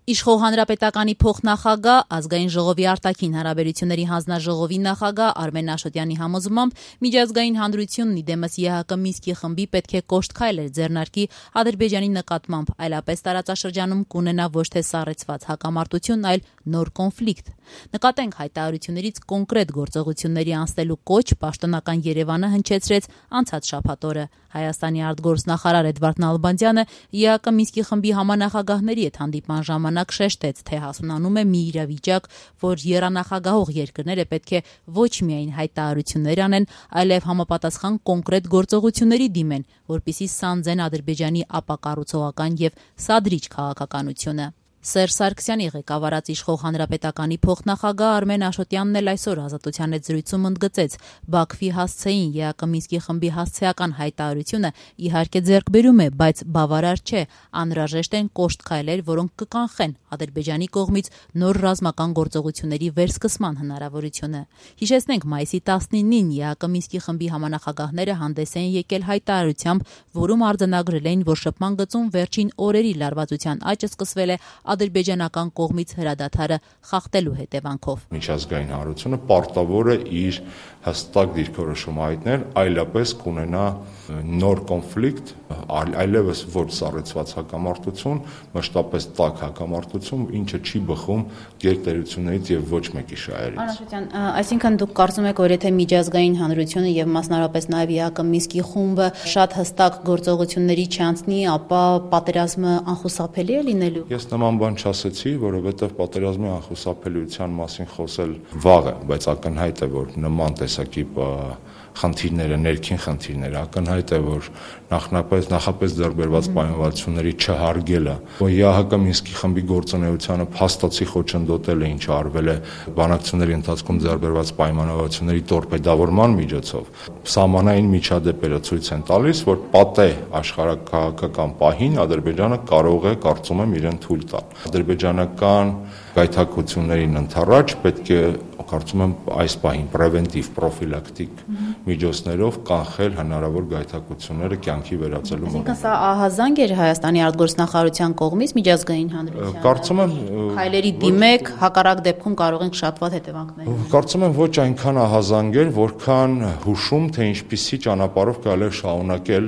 Իշխող հանրապետականի փոխնախագահ, ազգային ժողովի արտաքին հարաբերությունների հանձնաժողովի նախագահ Արմեն Աշոտյանի համոզմամբ միջազգային հանրությունն իդեմս ԵՀԿ Մինսկի խմբի պետք է կոշտ քայլեր ձեռնարկի Ադրբեջանի նկատմամբ, այլապես տարածաշրջանում կունենա ոչ թե սառեցված հակամարտություն, այլ նոր կոնֆլիկտ։ Նկատենք հայտարարություններից կոնկրետ գործողությունների անցնելու կոչ պաշտոնական Երևանը հնչեցրեց անցած շաբաթ օրը։ Հայաստանի արտգործնախարար Էդվարդ Նալբանդյանը ԵՀԿ Մինսկի խմբի համանախագահների հետ հանդիպման ժամանակ շեշտեց, թե հասունանում է մի իրավիճակ, որ եռանախագահող երկրները պետք է ոչ միայն հայտարարություններ անեն, այլև համապատասխան կոնկրետ գործողությունների դիմեն, որպեսզի սանձեն Ադրբեջանի ապակառուցողական եւ սադրիչ քաղաքականությունը։ Սերժ Սարգսյանի ղեկավարած իշխող հանրապետականի փոխնախագահ Արմեն Աշոտյանն էլ այսօր Ազատության հետ զրույցում ընդգծեց, Բաքվի հասցեին ԵԱԿ Մինսկի խմբի հասցեական հայտարարությունը իհարկե ձեռքբերում է, բայց բավարար չէ, անհրաժեշտ են կոշտ քայլեր, որոնք կկանխեն Ադրբեջանի կողմից նոր ռազմական գործողությունների վերսկսման հնարավորությունը։ Հիշեցնենք, մայիսի 19-ին ԵԱԿ Մինսկի խմբի համանախագահները հանդես են եկել հայտարարությամբ, որում արձանագրել էին, որ շփման գծում վերջին օրերի լարվածության աճը սկսվել է ադրբեջանական կողմից հրադադարը խախտելու հետևանքով։ Միջազգային հանրությունը պարտավոր է իր հստակ դիրքորոշում հայտնել, այլապես կունենա նոր կոնֆլիկտ, այլևս ոչ սառեցված հակամարտություն, մշտապես տաք հակամարտություն, ինչը չի բխում գերտերություններից եւ ոչ մեկի շահերից։ Անաշոտյան, այսինքն դուք կարծում եք, որ եթե միջազգային հանրությունը եւ մասնավորապես նաեւ ԵԱԿ Մինսկի խումբը շատ հստակ գործողությունների չանցնի, ապա պատերազմը անխուսափելի է լինելու։ Ես նման բան չասեցի, որովհետեւ պատերազմի անխուսափելիության մասին խոսել վաղ է, բայց ակնհայտ է, որ նման տեսակի խնդիրները, ներքին խնդիրները, ակնհայտ է, որ նախապես ձեռքբերված պայմանավորվածությունների չհարգելը, ԵԱՀԿ Մինսկի խմբի գործունեությանը փաստացի խոչընդոտել է, ինչը արվել է բանակցությունների ընթացքում ձեռքբերված պայմանավորվածությունների տորպեդավորման միջոցով, սահմանային միջադեպերը ցույց են տալիս, որ պատե աշխարհակաղակական պահին Ադրբեջանը կարող է, կարծում եմ, իրեն թույլ տալ։ Ադրբեջանական գայթակղություններին ընդառաջ պետք է, կարծում եմ, այս պահին պրևենտիվ, պրոֆիլակտիկ միջոցներով կանխել հնարավոր գայթակղությունները կյանքի վերածելու մոտ։ Այսինքն սա ահազանգ էր Հայաստանի արտգործնախարարության կողմից միջազգային հանրությանը։ Կարծում եմ, քայլերի դիմեք, հակառակ դեպքում կարող ենք շատ վատ հետևանքներ։ Կարծում եմ ոչ այնքան ահազանգ էր, որքան հուշում, թե ինչպիսի ճանապարհով կարելի է շարունակել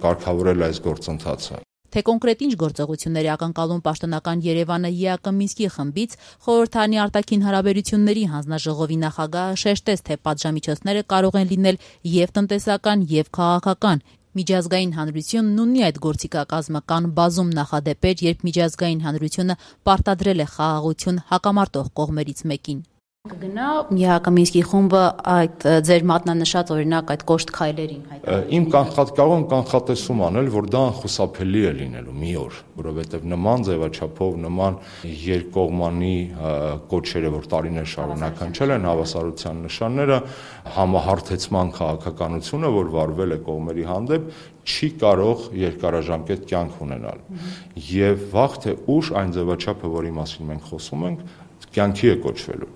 կարգավորել այս գործընթացը։ Թե կոնկրետ ինչ գործողությունների ակնկալում պաշտոնական Երևանը ԵԱԿ Մինսկի խմբից, խորհրդարանի արտաքին հարաբերությունների հանձնաժողովի նախագահը շեշտեց, թե պատժամիջոցները կարող են լինել եւ տնտեսական, եւ քաղաքական։ Միջազգային հանրությունն ունի այդ գործիքակազմը, կան բազում նախադեպեր, երբ միջազգային հանրությունը պարտադրել է խաղաղություն հակամարտող կողմերից մեկին։ Կգնա ԵԱԿ Մինսկի խումբը այդ ձեր մատնանշած օրինակ այդ կոշտ քայլերին հայտարարել։ Իմ կարող եմ կանխատեսում անել, որ դա անխուսափելի է լինելու մի օր, որովհետև նման ձևաչափով, նման երկկողմանի կոչերը, որ տարիներ շարունակ հնչել են, հավասարության նշանները, համահարթեցման քաղաքականությունը, որ վարվել է կողմերի հանդեպ, չի կարող երկարաժամկետ կյանք ունենալ։ Եվ վաղ թե ուշ այն ձևաչափը, որի մասին մենք խոսում ենք, կյանքի է կոչվելու։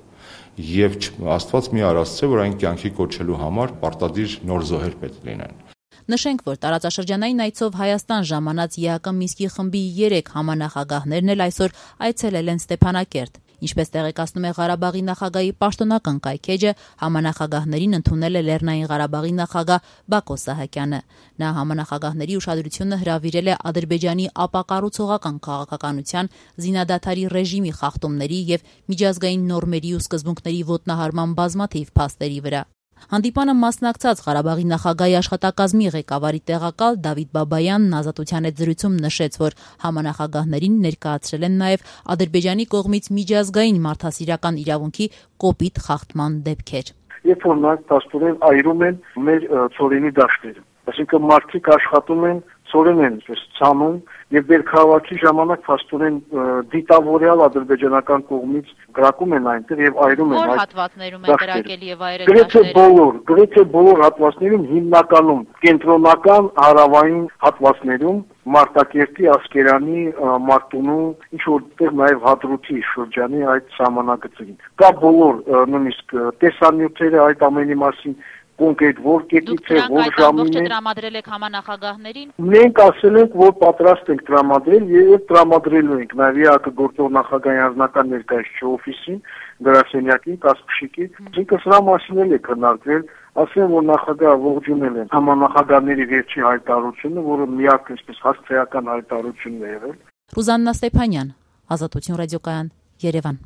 Եվ Աստված մի արասցե, որ այն կյանքի կոչելու համար պարտադիր նոր զոհեր պետք լինեն։ Նշենք, որ տարածաշրջանային այցով Հայաստան ժամանած ԵԱԿ Մինսկի խմբի 3 համանախագահներն էլ այսօր այցելել են Ստեփանակերտ։ Ինչպես տեղեկացնում է Ղարաբաղի նախագահի պաշտոնական կայքէջը, համանախագահներին ընդունել է Լեռնային Ղարաբաղի նախագահ Բակո Սահակյանը։ Նա համանախագահների ուշադրությունը հրավիրել է Ադրբեջանի ապակառուցողական քաղաքականության, զինադադարի ռեժիմի խախտումների եւ միջազգային նորմերի ու սկզբունքների ոտնահարման բազմաթիվ փաստերի վրա։ Հանդիպանը մասնակցած Ղարաբաղի նախագահի աշխատակազմի ղեկավարի տեղակալ Դավիթ Բաբայանն Ազատության հետ զրույցում նշեց, որ համանախագահներին ներկայացրել են նաև Ադրբեջանի կողմից միջազգային մարդասիրական իրավունքի կոպիտ խախտման դեպքեր։ Երբ որ նրանք փաստորեն այրում են մեր ծորենի դաշտերը, այսինքն մարդիկ աշխատում են ծորեն են ցանում եւ բերքահավաքի ժամանակ փաստորեն դիտավորյալ ադրբեջանական կողմից գրակում են այնտեղ եւ այրում են այդ հատվածներում է գրակել եւ այրել գրեթե բոլոր հատվածներում հիմնականում կենտրոնական հարավային հատվածներում Մարտակերտի, Ասկերանի, Մարտունու, ինչ որտեղ նաեւ Հադրութի շրջանի այդ սահմանագծերին։ Կա բոլոր նույնիսկ տեսանյութերը այդ ամենի մասին կոնկրետ որ կետից է, որ ժամին է։ Դուք տրամադրել եք համանախագահներին։ Մենք ասել ենք, որ պատրաստ ենք տրամադրել եւ տրամադրելու ենք։ Նաեւ ԵԱԿ գործող նախագահի անձնական ներկայացուցիչ օֆիսին, գրասենյակին, Կասպշիկի, ինքը սրա մասին էլ է քննարկվել, ասեմ, որ նախագահը ողջունել են համանախագահների վերջին հայտարարությունը, որը միակ այսպես հասցեական հայտարարությունն է եղել։ Ռուզաննա Ստեփանյան, Ազատություն ռադիոկայան, Երևան։